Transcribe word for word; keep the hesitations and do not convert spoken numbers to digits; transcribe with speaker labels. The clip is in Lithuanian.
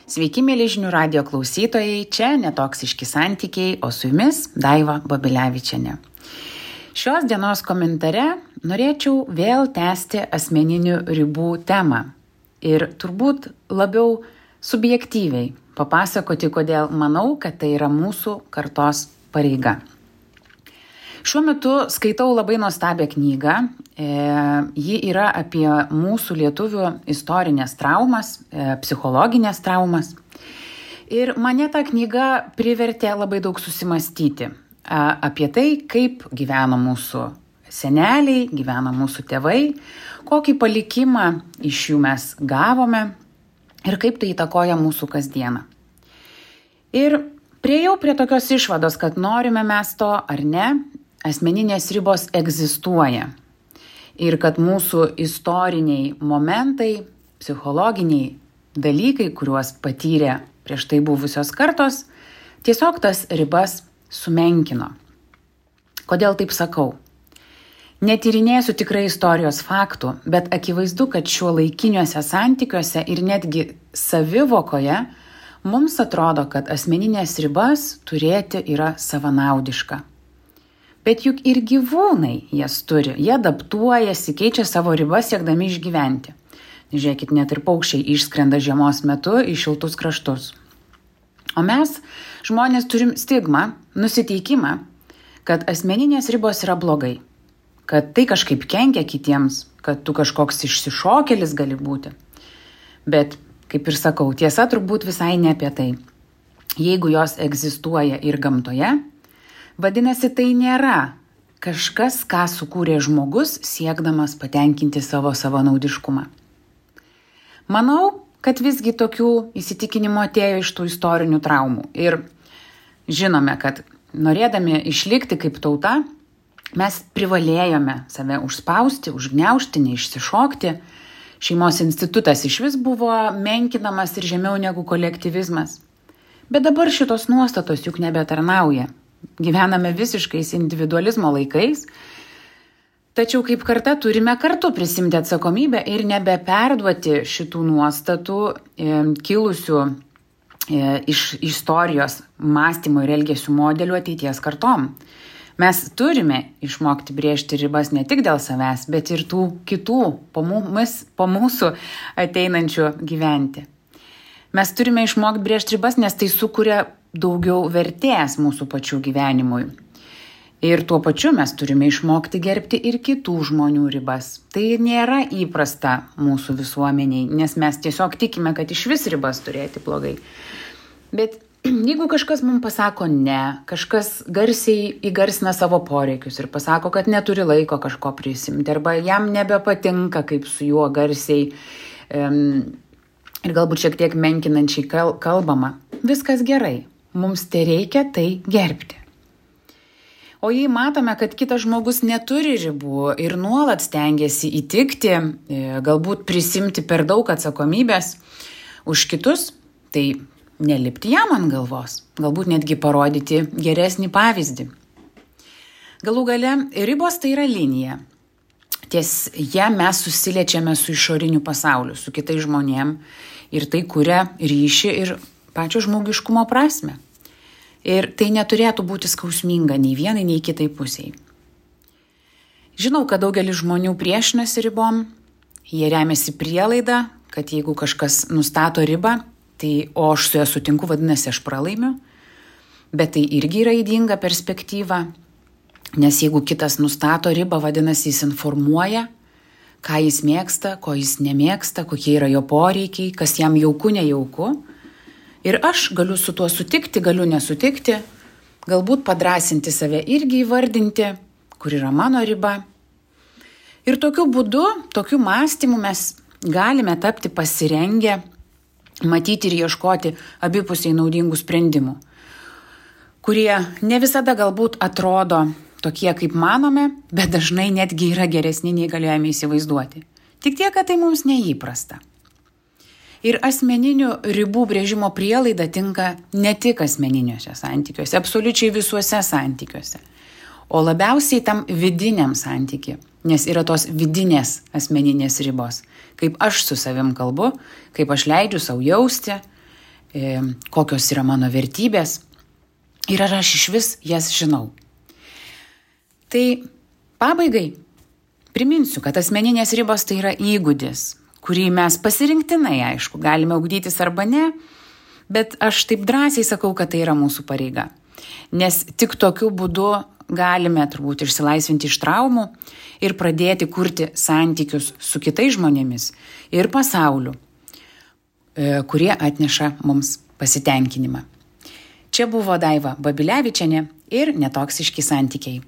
Speaker 1: Sveiki, mėly žinių radijo klausytojai, čia netoksiški santykiai, o su jumis Daiva Babilevičienė. Šios dienos komentare norėčiau vėl tęsti asmeninių ribų temą ir turbūt labiau subjektyviai papasakoti, kodėl manau, kad tai yra mūsų kartos pareiga. Šiuo metu skaitau labai nuostabią knygą. E, ji yra apie mūsų lietuvių istorinės traumas, e, psichologinės traumas. Ir mane ta knyga privertė labai daug susimastyti e, apie tai, kaip gyveno mūsų seneliai, gyveno mūsų tėvai, kokį palikimą iš jų mes gavome ir kaip tai įtakoja mūsų kasdieną. Ir priejau prie tokios išvados, kad norime mes to ar ne, asmeninės ribos egzistuoja ir kad mūsų istoriniai momentai, psichologiniai dalykai, kuriuos patyrė prieš tai buvusios kartos, tiesiog tas ribas sumenkino. Kodėl taip sakau? Netyrinėsiu tikrai istorijos faktų, bet akivaizdu, kad šiuolaikiniuose santykiuose ir netgi savivokoje mums atrodo, kad asmeninės ribas turėti yra savanaudiška. Bet juk ir gyvūnai jas turi, jie adaptuojasi, keičia savo ribas siekdami išgyventi. Žiūrėkit, net ir paukščiai išskrenda žiemos metu į šiltus kraštus. O mes, žmonės, turim stigmą, nusiteikimą, kad asmeninės ribos yra blogai, kad tai kažkaip kenkia kitiems, kad tu kažkoks išsišokėlis gali būti. Bet, kaip ir sakau, tiesa turbūt visai ne apie tai. Jeigu jos egzistuoja ir gamtoje, vadinasi, tai nėra kažkas, ką sukūrė žmogus, siekdamas patenkinti savo savanaudiškumą. Manau, kad visgi tokių įsitikinimų atėjo iš tų istorinių traumų. Ir žinome, kad norėdami išlikti kaip tauta, mes privalėjome save užspausti, užgniaužti, neišsišokti. Šeimos institutas išvis buvo menkinamas ir žemiau negu kolektyvizmas. Bet dabar šitos nuostatos juk nebetarnauja. Gyvename visiškais individualizmo laikais, tačiau kaip karta turime kartu prisimti atsakomybę ir nebeperduoti šitų nuostatų e, kilusių e, iš istorijos mąstymo ir elgesių modelių ateities kartom. Mes turime išmokti brėžti ribas ne tik dėl savęs, bet ir tų kitų po, mumis, po mūsų ateinančių gyventi. Mes turime išmokti brėžti ribas, nes tai sukuria daugiau vertės mūsų pačių gyvenimui. Ir tuo pačiu mes turime išmokti gerbti ir kitų žmonių ribas. Tai nėra įprasta mūsų visuomeniai, nes mes tiesiog tikime, kad iš vis ribas turėti blogai. Bet jeigu kažkas mums pasako ne, kažkas garsiai įgarsina savo poreikius ir pasako, kad neturi laiko kažko prisimti, arba jam nebepatinka, kaip su juo garsiai um, ir galbūt šiek tiek menkinančiai kalbama, viskas gerai. Mums tai reikia tai gerbti. O jei matome, kad kitas žmogus neturi ribų ir nuolat stengiasi įtikti, galbūt prisimti per daug atsakomybės už kitus, tai nelipti jam ant galvos, galbūt netgi parodyti geresnį pavyzdį. Galų gale, ribos tai yra linija. Ties ją mes susiliečiame su išoriniu pasauliu, su kitais žmonėm ir tai kuria ryšį ir pačio žmogiškumo prasme. Ir tai neturėtų būti skausminga nei vienai, nei kitai pusiai. Žinau, kad daugelis žmonių priešinasi ribom, jie remiasi prielaidą, kad jeigu kažkas nustato ribą, tai o aš su ja sutinku, vadinasi, aš pralaimiu. Bet tai irgi yra ydinga perspektyva, nes jeigu kitas nustato ribą, vadinasi, jis informuoja, ką jis mėgsta, ko jis nemėgsta, kokie yra jo poreikiai, kas jam jauku, nejauku. Ir aš galiu su tuo sutikti, galiu nesutikti, galbūt padrąsinti save irgi įvardinti, kur yra mano riba. Ir tokiu būdu, tokiu mąstymu mes galime tapti pasirengę, matyti ir ieškoti abipusiai naudingų sprendimų, kurie ne visada galbūt atrodo tokie, kaip manome, bet dažnai netgi yra geresni, nei galėjome įsivaizduoti. Tik tiek, kad tai mums neįprasta. Ir asmeninių ribų brėžimo prielaida tinka ne tik asmeniniuose santykiuose, absoliučiai visuose santykiuose, o labiausiai tam vidiniam santykiui, nes yra tos vidinės asmeninės ribos, kaip aš su savim kalbu, kaip aš leidžiu savo jausti, kokios yra mano vertybės ir ar aš iš vis jas žinau. Tai pabaigai priminsiu, kad asmeninės ribos tai yra įgūdis, kurį mes pasirinktinai, aišku, galime ugdytis arba ne, bet aš taip drąsiai sakau, kad tai yra mūsų pareiga. Nes tik tokiu būdu galime turbūt išsilaisvinti iš traumų ir pradėti kurti santykius su kitais žmonėmis ir pasauliu, kurie atneša mums pasitenkinimą. Čia buvo Daiva Babilevičienė ir Netoksiški santykiai.